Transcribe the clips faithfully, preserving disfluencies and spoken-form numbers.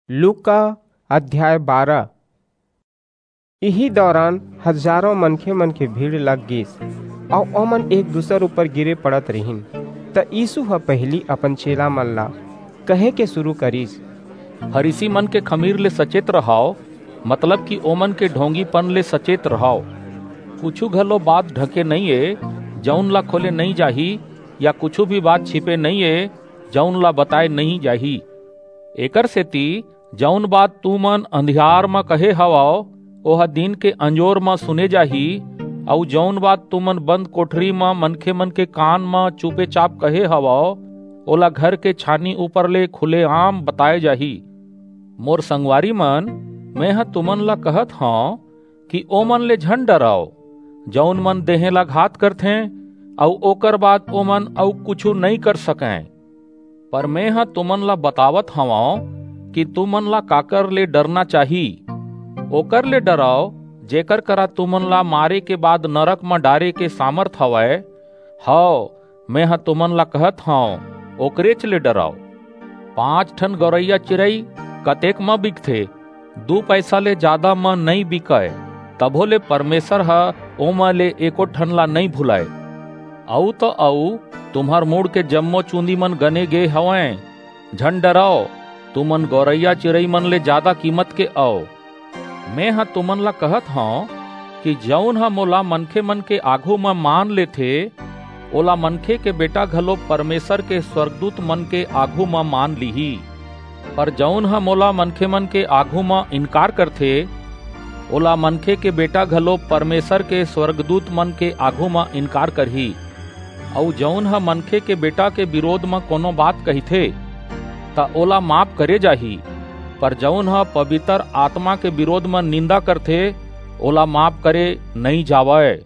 लूका अध्याय बारह। इही दौरान हजारों मनखे मन के भीड़ लग गीस, अऊ ओमन एक दूसर ऊपर गिरे पड़त रिहिन। त यीशु ह पहिली अपन चेला मन ला कहे के शुरू करिस, फरीसी मन के खमीर ले सचेत रहाव, मतलब कि ओमन के ढोंगीपन ले सचेत रहाव। कुछु घलो बात ढके नइं ए, जऊन ला खोले नइं जाही, या कुछु भी बात छिपे नइं ए, जऊन ला बताए नइं जाही। एकर सेती जऊन बात तुमन अंधियार म कहे हवव, ओह दिन के अंजोर म सुने जाही, अऊ जऊन बात तुमन बंद कोठरी म मनखे मन के कान म चुपेचाप कहे हवव, ओला घर के छानी ऊपर ले खुलेआम बताए जाही। मोर संगवारी मन, मेंह तुमन ला कहत हंव कि ओमन ले झन डरव, जऊन मन देहें ला घात करथें, अऊ ओकर बाद ओमन अऊ कुछू नइं कर सकंय। पर मेंह तुमन ला बतावत हवंव कि तुमन ला काकर ले डरना चाही। ओकर ले डरव, जेकर करा तुमन ला मारे के बाद नरक म डारे के सामर्थ हवय। हव, मेंह तुमन ला कहत हंव, ओकरेच ले डरव। पांच ठन गौरैया चिरई कतेक म बिकथे? दू पैसा ले जादा म नइं बिकय, तभो ले परमेसर ह ओमा ले एको ठन ला नइं भुलय। अऊ त अऊ, तुम्हर मुड़ के जम्मो चूंदी मन गने गे हवंय। झन डरव, तुमन गौरैया चिरई मन ले जादा कीमत के अव। मेंह तुमन ला कहत हंव कि जऊन ह मोला मनखे मन के आघू म मान लेथे, ओला मनखे के बेटा घलो परमेसर के स्वरगदूत मन के आघू म मान लिही। पर जऊन ह मोला मनखे मन के आघू म इनकार करथे, ओला मनखे के बेटा घलो परमेसर के स्वरगदूत मन के आघू म इनकार करही। अऊ जऊन ह मनखे के बेटा के बिरोध म कोनो बात कहिथे, त ओला माफ करे जाही, पर जऊन ह पबितर आतमा के बिरोध म निंदा करथे, ओला माफ करे नइं जावय।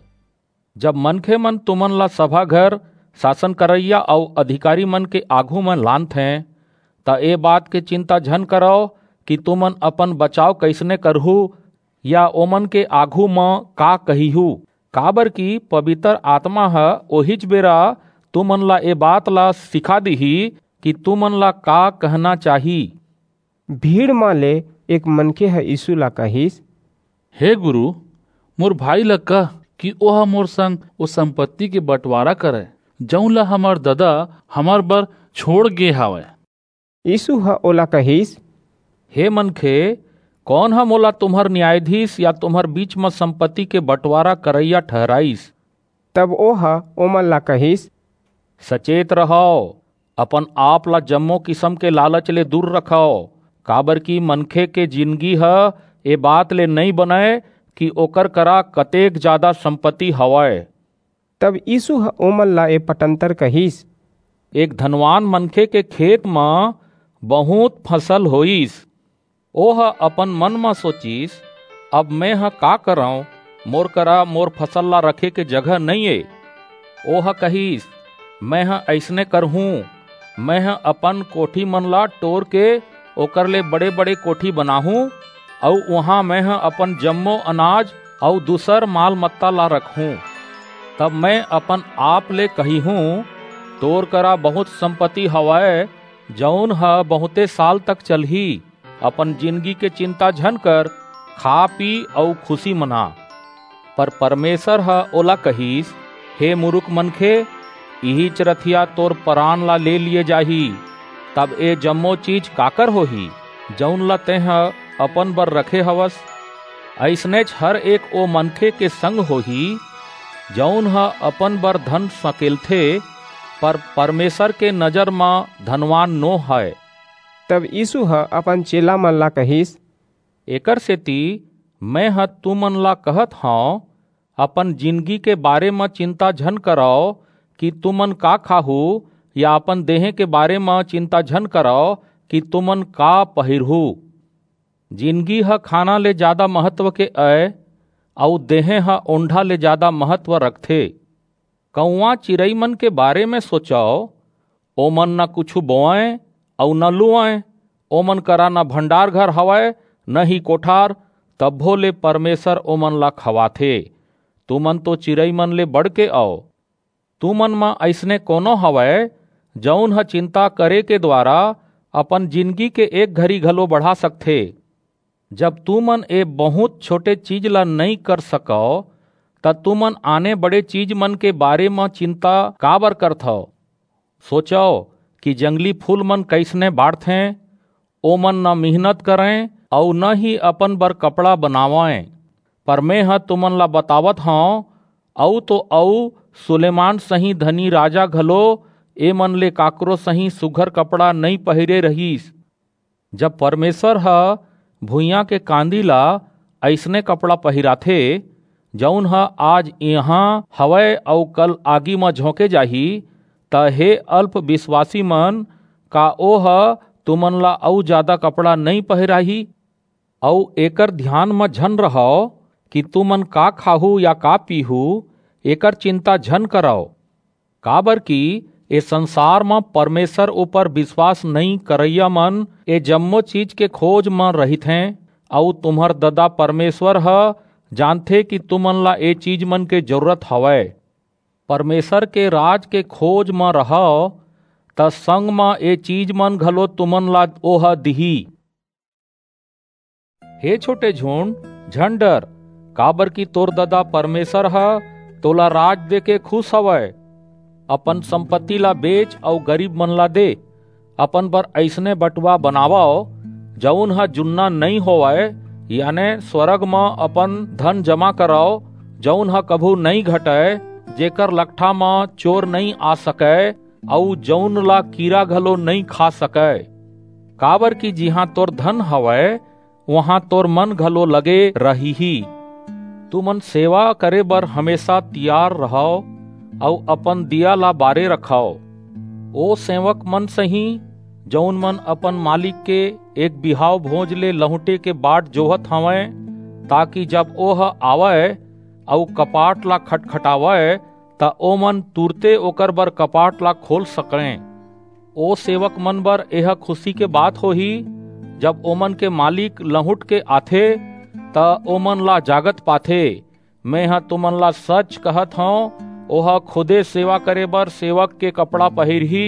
जब मनखे मन तुमन ला सभा घर, सासन करइया अऊ अधिकारी मन के आघू म लानथें, त ए बात के चिंता झन करव कि तुमन अपन बचाव कइसने करहू, या ओमन के आघू म का कहिहू, काबरकि पबितर आतमा ह ओहीच बेरा तुमन ला ए बात ला सिखा दिही कि तुमन ला का कहना चाही। भीड़ म ले एक मनखे ह यीसू ला कहिस, हे गुरू, मोर भाई ला कह कि ओह मोर संग ओ संपत्ति के बंटवारा करय, जऊन ला हमर ददा हमर बर छोंड़ गे हवय। यीसू ह ओला कहिस, हे मनखे, कोन ह मोला तुम्हर न्यायाधीस या तुम्हर बीच म संपत्ति के बंटवारा करइया ठहराईस? तब ओह ओमन ला कहिस, सचेत रहव, अपन आप ला जम्मो किसम के लालच ले दूर रखव, काबरकि मनखे के जिनगी ह ए बात ले नइं बनय कि ओकर करा कतेक जादा संपत्ति हवय। तब यीसू ह ओमन ला ए पटंतर कहिस, एक धनवान मनखे के खेत म बहुंत फसल होईस। ओह अपन मन म सोचिस, अब मेंह का करंव? मोर करा मोर फसल ला रखे के जगह नइं ए। ओह कहिस, मेंह अइसने करहूं, मेंह अपन कोठी मन ला टोर के ओकर ले बड़े-बड़े कोठी बनाहूं, अऊ उहां मेंह अपन जम्मो अनाज अऊ दूसर माल-मत्ता ला रखहूं। तब मेंह अपन आप ले कहिहूं, तोर करा बहुंत संपत्ति हवय, जऊन ह बहुंते साल तक चलही। अपन जिनगी के चिंता झन कर, खा, पी अऊ खुसी मना। पर परमेसर ह ओला कहिस, हे मुरुख मनखे, इहीच रतिहा तोर परान ला ले लिये जाही। तब ए जम्मो चीज काकर होही, जऊन ला तेंह अपन बर रखे हवस? अइसनेच हर एक ओ मनखे के संग होही, जऊन ह अपन बर धन सकेलथे, पर परमेसर के नजर म धनवान नो हय। तब यीसू ह अपन चेला मन ला कहिस, एकर सेती मेंह तुमन ला कहत हंव, अपन जिनगी के बारे म चिंता झन करव कि तुमन का खाहू, या अपन देहें के बारे म चिंता झन करव कि तुमन का पहिरहू। जिनगी ह खाना ले जादा महत्व के अय, अऊ देहें ह ओंढा ले जादा महत्व रखथे। कौंआ चिरई मन के बारे म सोचव, ओमन न कुछू बोवंय अऊ न लुवंय, ओमन करा न भंडार घर हवय, न ही कोठार, तभो ले परमेसर ओमन ला खवाथे। तुमन तो चिरई मन ले बढ़के अव। तुमन म अइसने कोनो हवय, जऊन ह चिंता करे के दुवारा अपन जिनगी के एक घरी घलो बढ़ा सकथे। जब तुमन ए बहुंत छोटे चीज ला नइं कर सकव, त तुमन आने बड़े चीज मन के बारे म चिंता काबर करथव? सोचव कि जंगली फूल मन कइसने बाढ़थें, ओमन न मिहनत करंय अऊ न ही अपन बर कपड़ा बनावंय। पर मेंह तुमन ला बतावत हंव, अऊ तो अऊ सुलेमान सहीं धनी राजा घलो एमन ले काकरो सहीं सुघर कपड़ा नइं पहिरे रहिस। जब परमेसर ह भुइयां के कांदी ला अइसने कपड़ा पहिराथे, जऊन ह आज इहां हवय अऊ कल आगी म झोंके जाही, त हे अल्प बिसवासी मन, का ओह तुमन ला अऊ जादा कपड़ा नइं पहिराही? अऊ एकर धियान म झन रहव कि तुमन का खाहू या का पीहू, एकर चिंता झन करव। काबरकि ए संसार म परमेसर ऊपर बिसवास नइं करइया मन ए जम्मो चीज के खोज म रहिथें, अऊ तुम्हर ददा परमेसर ह जानथे कि तुमन ला ए चीज मन के जरूरत हवय। परमेसर के राज के खोज म रहव, त संग म ए चीज मन घलो तुमन ला ओह दिही। हे छोटे झुंड, झन डर, काबरकि तोर ददा परमेसर ह तोला राज देके खुस हवय। अपन संपत्ति ला बेच अऊ गरीब मन ला दे। अपन बर अइसने बटुआ बनावव, जऊन ह जुन्ना नइं होवय, याने स्वरग म अपन धन जमा करव, जऊन ह कभू नइं घटय, जेकर लकठा म चोर नइं आ सकय, अऊ जऊन ला कीरा घलो नइं खा सकय। काबरकि जिहां तोर धन हवय, उहां तोर मन घलो लगे रहिही। तुमन सेवा करे बर हमेसा तियार रहव अऊ अपन दिया ला बारे रखव। ओ सेवक मन सहीं, जऊन मन अपन मालिक के एक बिहाव भोज ले लहुंटे के बाट जोहत हवंय, ताकि जब ओह आवय अऊ कपाट ला खटखटावय, त ओमन तुरते ओकर बर कपाट ला खोल सकंय। ओ सेवक मन बर एह खुसी के बात होही, जब ओमन के मालिक लहुंट के आथे, त ओमन ला जागत पाथे। मेंह तुमन ला सच कहत हंव, ओह खुदे सेवा करे बर सेवक के कपड़ा पहिरही,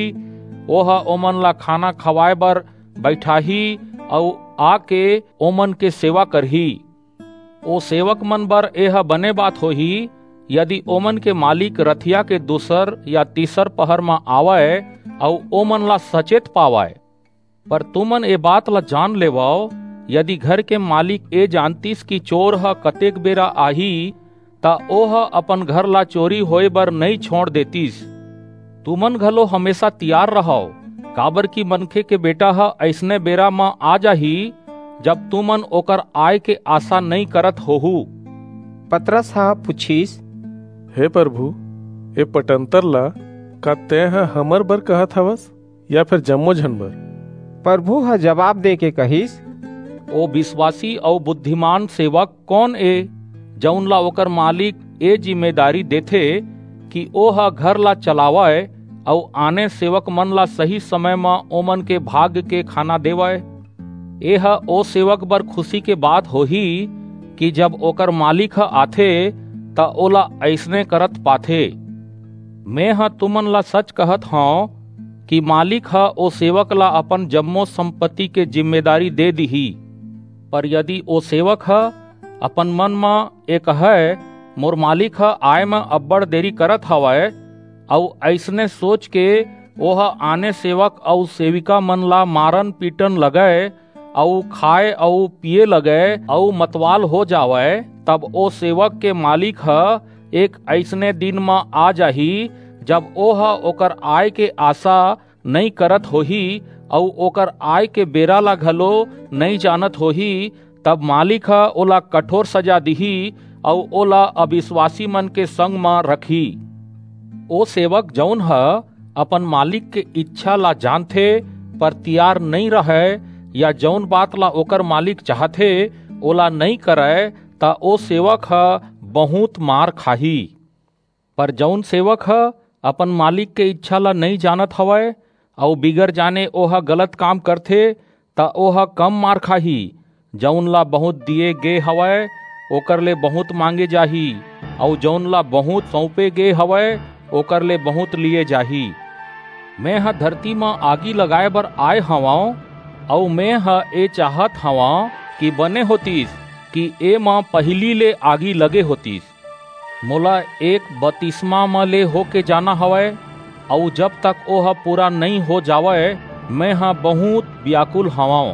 ओह ओमन ला खाना खवाय बर बइठाही अऊ आके ओमन के सेवा करही। ओ सेवक मन बर एह बने बात होही, यदि ओमन के मालिक रथिया के दूसर या तीसर पहर म आवय अऊ ओमन ला सचेत पावय। पर तुमन ए बात ला जान लेवव, यदि घर के मालिक ए जानतिस कि चोर ह कतेक बेरा आही, त ओह अपन घर ला चोरी होय बर नइं छोंड़ देतिस। तुमन घलो हमेसा तियार रहव, काबरकि मनखे के बेटा ह अइसने बेरा म आ जाही, जब तुमन ओकर आय के आसा नइं करत होहू। पतरस ह पुछिस, हे परभू, ए पटंतर ला का तेंह हमर बर कहत हवस, या फेर जम्मो झन बर? परभू ह जबाब देके कहिस, ओ बिसवासी अऊ बुद्धिमान सेवक कोन ए, जऊन ला ओकर मालिक ए जिम्मेदारी देथे कि ओह घर ला चलावय अऊ आने सेवक मन ला सही समय म ओमन के भाग के खाना देवय? एह ओ सेवक बर खुसी के बात होही कि जब ओकर मालिक ह आथे, त ओला अइसने करत पाथे। मेंह तुमन ला सच कहत हंव कि मालिक ह ओ सेवक ला अपन जम्मो संपत्ति के जिम्मेदारी दे दिही। पर यदि ओ सेवक ह अपन मन म ए कहय, मोर मालिक ह आय म अब्बड़ देरी करत हवय, अऊ अइसने सोच के ओह आने सेवक अऊ सेविका मन ला मारन पीटन लगय, अऊ खाय अऊ पीये लगय, अऊ मतवाल हो जावय, तब ओ सेवक के मालिक ह एक अइसने दिन म आ जाही, जब ओह ओकर आय के आसा नइं करत होही, अऊ ओकर आय के बेरा ला घलो नइं जानत होही, तब मालिक ह ओला कठोर सजा दिही, अऊ ओला अबिसवासी मन के संग म रखही। ओ सेवक, जऊन ह अपन मालिक के इच्छा ला जानथे, पर तियार नइं रहय, या जऊन बात ला ओकर मालिक चाहथे, ओला नइं करय, त ओ सेवक ह बहुंत मार खाही। पर जऊन सेवक ह अपन मालिक के इच्छा ला नइं जानत हवय, अऊ बिगर जाने ओह गलत काम करथे, त ओह कम मार खाही। जऊन ला बहुंत दिये गे हवय, ओकर ले बहुंत मांगे जाही, अऊ जऊन ला बहुंत सऊंपे गे हवय, ओकर ले बहुंत लिये जाही। मेंह धरती म आगी लगाय बर आय हवंव, अऊ मेंह ए चाहत हवंव कि बने होतिस कि एमा पहिली ले आगी लगे होतिस। मोला एक बतिसमा म ले होके जाना हवय, अऊ जब तक ओह पूरा नइं हो जावय, मेंह बहुंत बियाकुल हवंव।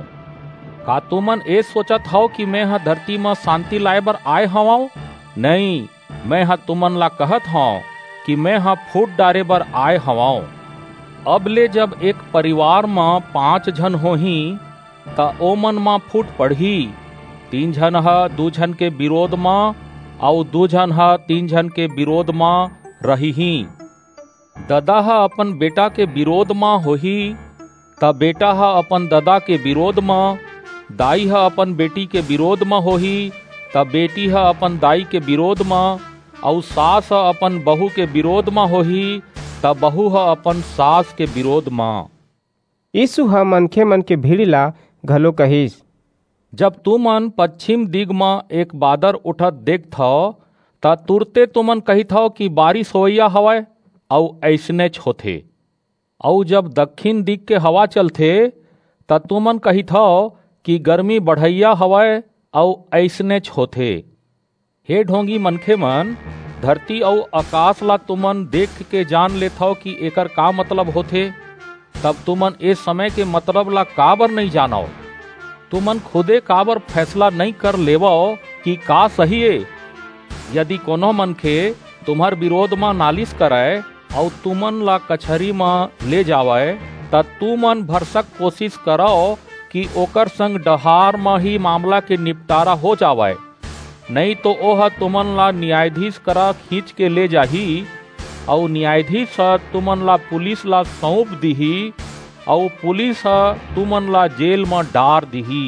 का तुमन ए सोचत हव कि मेंह धरती म सांति लाय बर आय हवंव? नइं, मेंह तुमन ला कहत हंव कि मेंह फूट डारे बर आय हवंव। अब ले जब एक परिवार म पांच झन होहीं, त ओमन म फूट पड़ही। तीन झन ह दू झन के बिरोध म, अऊ दू झन ह तीन झन के बिरोध म रहिहीं। ददा ह अपन बेटा के बिरोध म होही, त बेटा ह अपन ददा के बिरोध म, दाई ह अपन बेटी के बिरोध म होही, त बेटी ह अपन दाई के बिरोध म, अऊ सास ह अपन बहू के बिरोध म होही, त बहू ह अपन सास के बिरोध म। यीसू ह मनखेमन के भीड़ ला घलो कहिस, जब तुमन पछिम दिग म एक बादर उठत देखथव, त तुरते तुमन कहिथव कि बारिस होवइया हवय, अऊ अइसनेच होथे। अऊ जब दक्खिन दिग के हवा चलथे, त तुमन कहिथव कि गरमी बढ़इया हवय, अऊ अइसनेच होथे। हे ढोंगी मनखेमन, धरती अऊ अकास ला तुमन देख के जान लेथव कि एकर का मतलब होथे, तब तुमन ए समय के मतलब ला काबर नइं जानव? तुमन खुदे काबर फैसला नइं कर लेवव कि का सही ए? यदि कोनो मनखे तुम्हर बिरोध म नालिस करय अऊ तुमन ला कचहरी म ले जावय, त तुमन भरसक कोसिस करव कि ओकर संग डहार म ही मामला के निपटारा हो जावय। नइं तो ओह तुमन ला नियायधीस करा खींच के ले जाही, अऊ नियायधीस ह तुमन ला पुलिस ला सऊंप दिही, अऊ पुलिस ह तुमन ला जेल म डार दिही।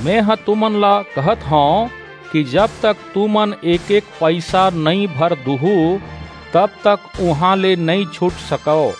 मेंह तुमन ला कहत हंव कि जब तक तुमन एक-एक पईसा नइं भर दुहू, तब तक उहां ले नइं छूट सकव।